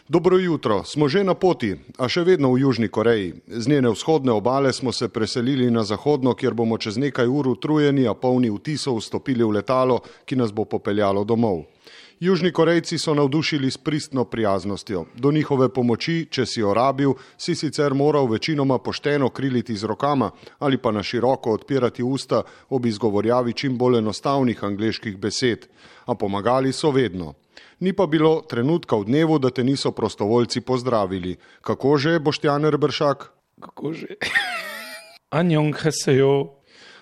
Dobro jutro, smo že na poti, a še vedno v Južni Koreji. Z njene vzhodne obale smo se preselili na zahodno, kjer bomo čez nekaj ur utrujeni, a polni vtisov vstopili v letalo, ki nas bo popeljalo domov. Južni Korejci so navdušili s pristno prijaznostjo. Do njihove pomoči, če si jo rabil, si sicer moral večinoma pošteno kriliti z rokama ali pa na široko odpirati usta ob izgovorjavi čim bolj enostavnih angleških besed. A pomagali so vedno. Ni pa bilo trenutka v dnevu, da te niso prostovoljci pozdravili. Kako že, Boštjan Reberšak? Kako že? Annyeonghaseyo.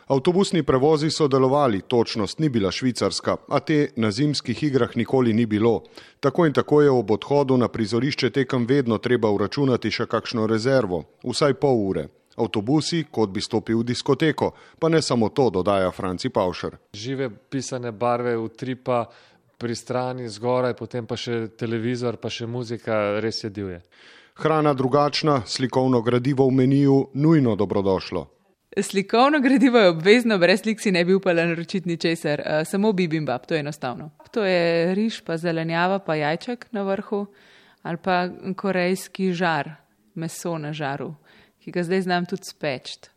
Avtobusni prevozi so delovali, točnost ni bila švicarska, a te na zimskih igrah nikoli ni bilo. Tako in tako je ob odhodu na prizorišče tekem vedno treba vračunati še kakšno rezervo, vsaj pol ure. Avtobusi, kot bi stopil v diskoteko, pa ne samo to, dodaja Franci Pavšer. Žive pisane barve, utripa pri strani, zgoraj, potem pa še televizor, pa še muzika, res je divje. Hrana drugačna, slikovno gradivo v meniju, nujno dobrodošlo. Slikovno gradivo je obvezno, brez slik si ne bi upala naročiti ničesar, samo bibimbap, to je enostavno. To je riž, pa zelenjava, pa jajček na vrhu, ali pa korejski žar, meso na žaru, ki ga zdaj znam tudi spečt.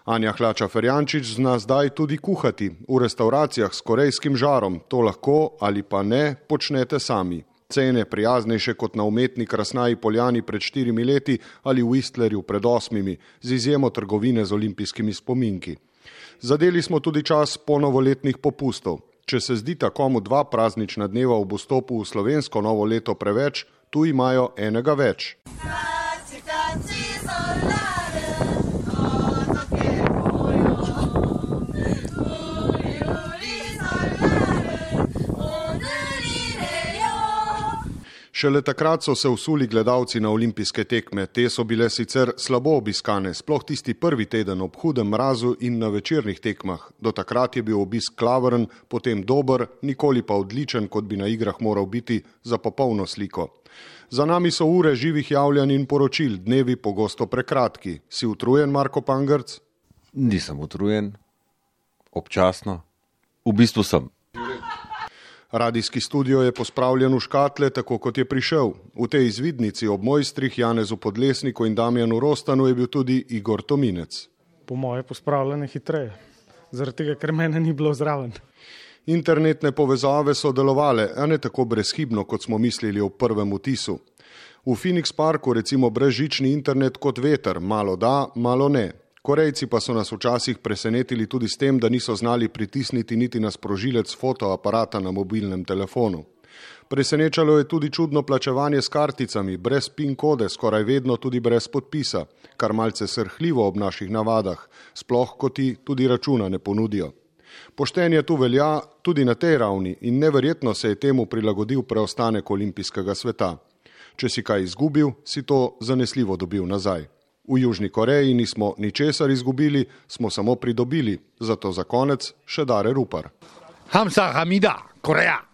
Anja Hlača-Ferjančič zna zdaj tudi kuhati. V restauracijah s korejskim žarom to lahko ali pa ne počnete sami. Cene prijaznejše kot na umetni Krasnaji Poljani pred 4 leti ali v Whistlerju pred 8, z izjemo trgovine z olimpijskimi spominki. Zadeli smo tudi čas ponovoletnih popustov. Če se zdita komu 2 praznična dneva ob vstopu v slovensko novo leto preveč, tu imajo enega več. Šele takrat so se vsuli gledalci na olimpijske tekme. Te so bile sicer slabo obiskane, sploh tisti prvi teden ob hudem mrazu in na večernih tekmah. Do takrat je bil obisk klavrn, potem dober, nikoli pa odličen, kot bi na igrah moral biti, za popolno sliko. Za nami so ure živih javljanj in poročil, dnevi pogosto prekratki. Si utrujen, Marko Pangrc? Nisem utrujen, občasno. V bistvu sem. Radijski studio je pospravljen v škatle, tako kot je prišel. V tej izvidnici ob mojstrih Janezu Podlesniku in Damjanu Rostanu je bil tudi Igor Tominec. Po moje pospravljene hitreje, zaradi tega, ker mene ni bilo zraven. Internetne povezave so delovale, a ne tako brezhibno, kot smo mislili ob prvem vtisu. V Phoenix Parku recimo brezžični internet kot veter, malo da, malo ne. Korejci pa so nas včasih presenetili tudi s tem, da niso znali pritisniti niti na sprožilec fotoaparata na mobilnem telefonu. Presenečalo je tudi čudno plačevanje s karticami, brez PIN kode, skoraj vedno tudi brez podpisa, kar malce srhljivo ob naših navadah, sploh ko ti tudi računa ne ponudijo. Poštenje tu velja tudi na tej ravni in neverjetno se je temu prilagodil preostanek olimpijskega sveta. Če si kaj izgubil, si to zanesljivo dobil nazaj. V Južni Koreji nismo ničesar izgubili, smo samo pridobili. Zato za konec še Dare Rupar. Hamsahamnida, Koreja!